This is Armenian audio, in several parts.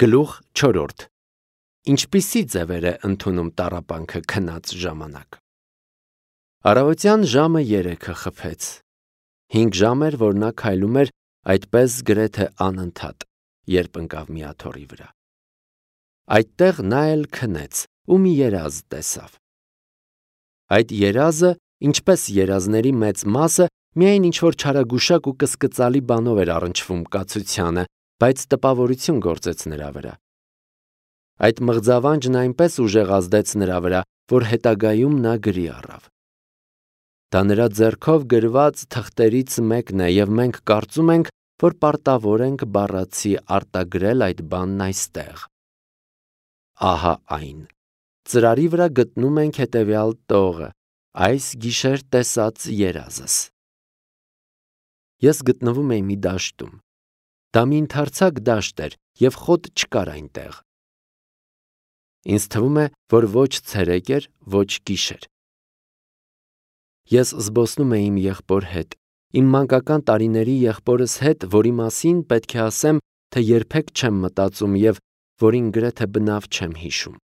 Գլուխ 4. Ինչպիսի ձևեր է ընդունում տառապանքը քնած ժամանակ։ Առավոտյան ժամը 3-ը խփեց։ 5 ժամ էր, որ նա քայլում էր այդպես գրեթե անընդհատ, երբ ընկավ մի աթոռի վրա։ Այդտեղ նա էլ քնեց ու մի երազ տեսավ։ Այդ երազը, ինչպես երազների մեծ մասը, միայն ինչ-որ չարագուշակ ու կսկծալի բանով էր առնչվում կացությանը, բայց տպավորություն գործեց նրա վրա։ Այդ մղձավանջն այնպես ուժեղ ազդեց նրա վրա, որ հետագայում նա գրի առավ։ Դա նրա ձեռքով գրված թղթերից մեկն է, և մենք կարծում ենք, որ պարտավոր ենք բառացի արտագրել այդ բանն այստեղ։ Ահա այն։ Ծրարի վրա գտնում ենք հետևյալ տողը, այս գիշեր տեսած երազս։ Ես գտնվում էի մի դաշտում։ Դա մի ընդարձակ դաշտ էր, և խոտ չկար այնտեղ։ Ինձ թվում է, որ ոչ ցերեկ էր, ոչ գիշեր։ Ես զբոսնում էի իմ եղբոր հետ, իմ մանկական տարիների եղբորս հետ, որի մասին պետք է ասեմ, թե երբեք չեմ մտածում և որին գրեթե բնավ չեմ հիշում։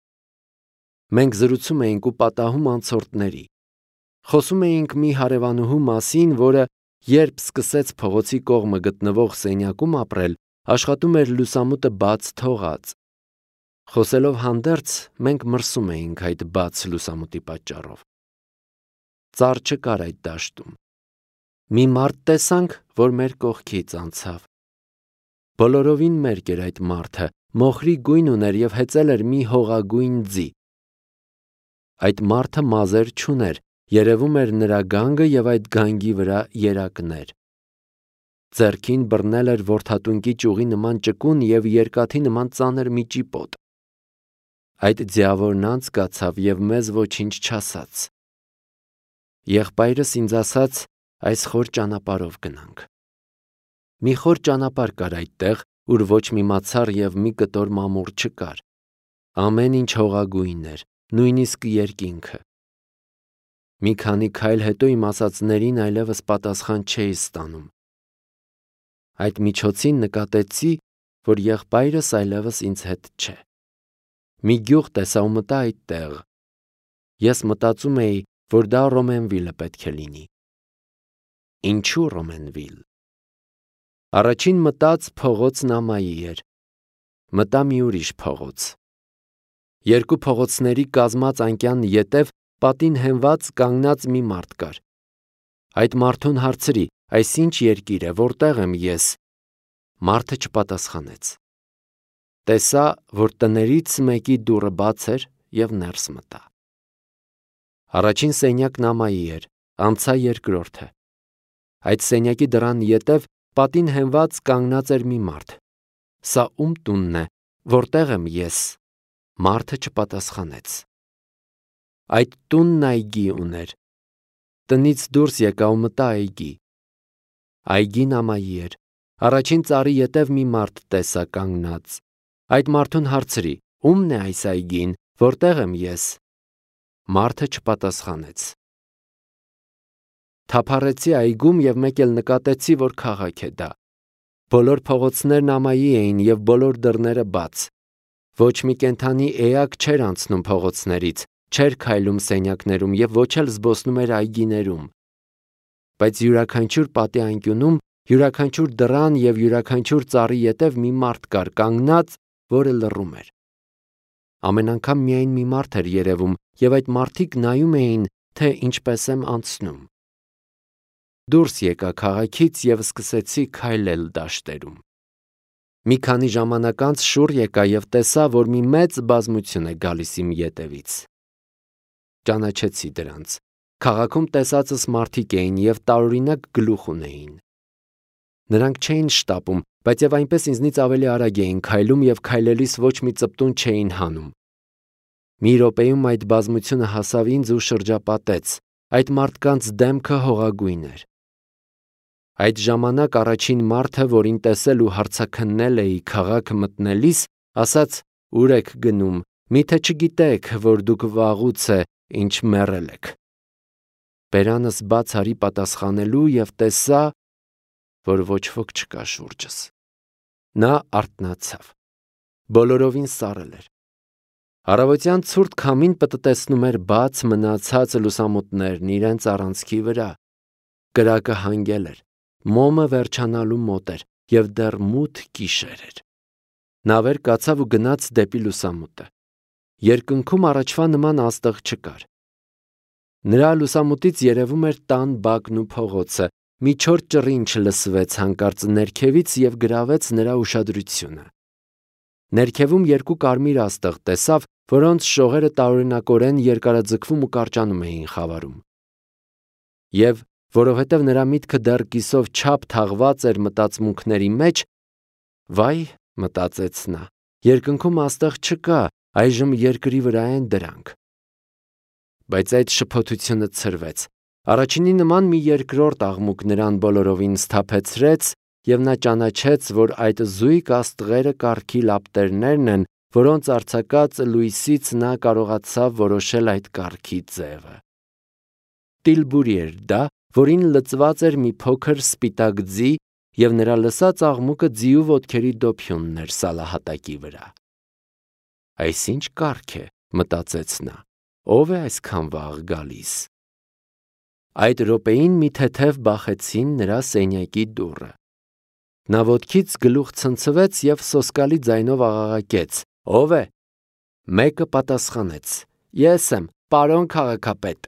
Մենք զրուցում էինք ու պատահում անցորդների։ Խոսում էինք մի հարևանուհու մասին, որը, երբ սկսեց փողոցի կողմը գտնվող սենյակում ապրել, աշխատում էր լուսամուտը բաց թողած։ Խոսելով հանդերձ, մենք մրսում էինք այդ բաց լուսամուտի պատճառով։ Ծառ չկար այդ դաշտում։ Մի մարդ տեսանք, որ մեր կողքից անցավ։ Բոլորովին մերկ էր այդ մարդը, մոխրի գույն ուներ և հեծել էր մի հողագույն ձի։ Այդ մարդը մազեր չուներ, երևում էր նրա գանգը և այդ գանգի վրա երակներ։ Ձեռքին բռնել էր որդատունկի ճյուղի նման ճկուն և երկաթի նման ծանր մի ճիպոտ։ Այդ ձիավորն անց կացավ և մեզ ոչինչ չասաց։ Եղբայրս ինձ ասաց, այս խոր ճանապարհով գնանք։ Մի խոր ճանապարհ կար այդտեղ, ուր ոչ մի մացառ և մի կտոր մամուռ չկար։ Ամեն ինչ հողագույն էր, նույնիսկ երկինքը։ Մի քանի քայլ հետո իմ ասածներին այլևս պատասխան չէի ստանում։ Այդ միջոցին նկատեցի, որ եղբայրս այլևս ինձ հետ չէ։ Մի գյուղ տեսա ու մտա այդտեղ։ Ես մտածում էի, որ դա Ռոմենվիլը պետք է լինի։ Ինչու Ռոմենվիլ։ Առաջին մտած փողոց Նամայի էր։ Մտա մի ուրիշ փողոց։ Երկու փողոցների կազմած անկյան ետև պատին հենված կանգնած մի մարդ կար։ Այդ մարդուն հարցրի, այս ինչ երկիր է, որտեղ եմ ես։ Մարդը չպատասխանեց։ Տեսա, որ տներից մեկի դուռը բաց էր և ներս մտա։ Առաջին սենյակն Նամայի էր, անցա երկրորդը։ Այդ սենյակի դռան ետև պատին հենված կանգնած էր մի մարդ։ Սա ում տունն է, որտեղ եմ ես։ Մարդը չպատասխանեց։ Այդ տունն այգի ուներ։ Տնից դուրս եկա ու մտա այգի։ Այգի Նամայի էր։ Առաջին ծառի ետև մի մարդ տեսա կանգնած։ Այդ մարդուն հարցրի. ում՞մն է այս այգին, որտեղ եմ ես։ Մարդը չպատասխանեց։ Թափառեցի այգում և մեկ էլ նկատեցի, որ քաղաք է դա։ Բոլոր փողոցներն Նամայի էին և բոլոր դռները բաց։ Ոչ մի կենդանի էակ չէր անցնում փողոցներից, չէր քայլում սենյակներում և ոչ էլ զբոսնում էր այգիներում։ Բայց յուրաքանչյուր պատի անկյունում, յուրաքանչյուր դռան և յուրաքանչյուր ծառի ետև մի մարդ կար կանգնած, որը լռում էր։ Ամեն անգամ միայն մի մարդ էր երևում, և այդ մարդիկ նայում էին, թե ինչպես եմ անցնում։ Դուրս եկա քաղաքից և սկսեցի քայլել դաշտերում։ Մի քանի ժամանակ անց շուռ եկա և տեսա, որ մի մեծ բազմություն է գալիս իմ ետևից։ Ճանաչեցի դրանց։ Քաղաքում տեսածս մարդիկ էին և տարօրինակ գլուխ ունեին։ Նրանք չէին շտապում, բայց և այնպես ինձնից ավելի արագ էին քայլում և քայլելիս ոչ մի ծպտուն չէին հանում։ Մի րոպեում այդ բազմությունը հասավ ինձ ու շրջապատեց։ Այդ մարդկանց դեմքը հողագույն էր։ Այդ ժամանակ առաջին մարդը, որին տեսել ու հարցաքննել էի քաղաքը մտնելիս, ասաց. «Ո՞ւր եք գնում, միթե չգիտեք, որ դուք վաղուց է, ինչ մեռել եք»։ Բերանս բաց արի պատասխանելու և տեսա, որ ոչ ոք չկա շուրջս։ Նա արթնացավ։ բոլորովին սառել էր։ Առավոտյան ցուրտ քամին պտտեցնում էր բաց մնացած լուսամուտներն իրենց առանցքի վրա։ Կրակը հանգել էր, մոմը վերջանալու մոտ էր և դեռ մութ գիշեր էր։ Նա վեր կացավ ու գնաց դեպի լուսամուտը։ Երկնքում առաջվա նման աստղ չկար։ Նրա լուսամուտից երևում էր տան բակն ու փողոցը, մի չոր ճռինչ լսվեց հանկարծ ներքևից և գրավեց նրա ուշադրությունը։ Ներքևում երկու կարմիր աստղ տեսավ, որոնց շողերը տարօրինակորեն երկարաձգվում ու կարճանում էին խավարում։ Եվ որովհետև նրա միտքը դեռ կիսով չափ թաղված էր մտածմունքների մեջ, վայ, մտածեց նա, երկնքում աստղ չկա, այժմ երկրի վրա են դրանք։ Բայց այդ շփոթությունը ցրվեց։ Առաջինի նման մի երկրորդ աղմուկ նրան բոլորովին սթափեցրեց, և նա ճանաչեց, որ այդ զույգ աստղերը կարգի լապտերներն են, որոնց արձակած լույսից նա կարողացավ որոշել այդ կարգի ձևը։ Տիլբուրի էր դա, որին լծված էր մի փոքր սպիտակ ձի, և նրա լսած աղմուկը ձիու ոտքերի դոփյունն էր սալահատակի վրա։ Այս ինչ կարգ է, մտածեց նա, ով է այսքան վաղ գալիս։ Այդ րոպեին մի թեթև բախեցին նրա սենյակի դուռը։ Նա ոտքից գլուխ ցնցվեց և սոսկալի ձայնով աղաղակեց. «Ո՞վ է»։ Մեկը պատասխանեց. «Ես եմ, պարոն քաղաքապետ»։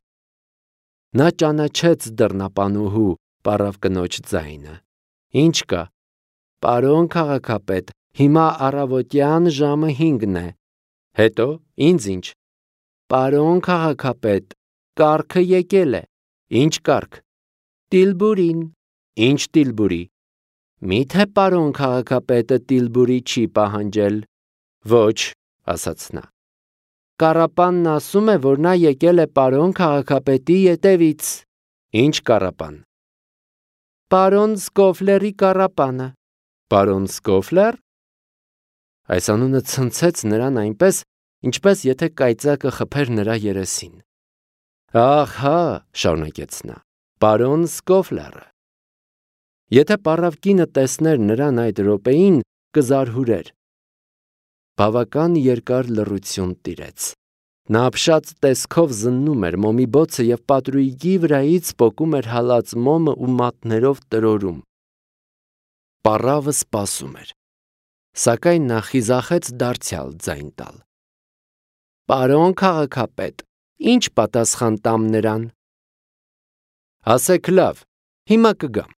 Նա ճանաչեց դռնապանուհու, պառավ կնոջ ձայնը։ «Ինչ կա»։ «Պարոն քաղաքապետ, հիմա առավոտյան ժամը 5-ն է»։ «Հետո, ինձ ինչ»։ «Պարոն քաղաքապետ, կառքը եկել է»։ «Ինչ կառք»։ «Տիլբուրին»։ «Ինչ Տիլբուրի»։ «Մի՞թե պարոն քաղաքապետը Տիլբուրի չի պահանջել»։ «Ոչ», ասաց նա։ «Կառապանն ասում է, որ նա եկել է պարոն քաղաքապետի ետևից»։ «Ինչ կառապան»։ «Պարոն Սկոֆլերի կառապանը»։ «Պարոն Սկոֆլե՞ր»։ Այս անունը ցնցեց նրան այնպես, ինչպես եթե կայծակը խփեր նրա երեսին։ «Ահա», շարունակեց նա, «պարոն Սկոֆլերը»։ Եթե պառավ կինը տեսներ նրան այդ րոպեին, կզարհուրեր։ Բավական երկար լռություն տիրեց։ Նա ապշած տեսքով զննում էր մոմի բոցը և պատրույգի վրայից պոկում էր հալած մոմը ու մատներով տրորում։ Պառավը սպասում էր, սակայն նա խիզախեց դարձյալ ձայն տալ։ «Պարոն քաղաքապետ, ի՞նչ պատասխան տամ նրան»։ «Ասեք լավ, հիմա կգամ»։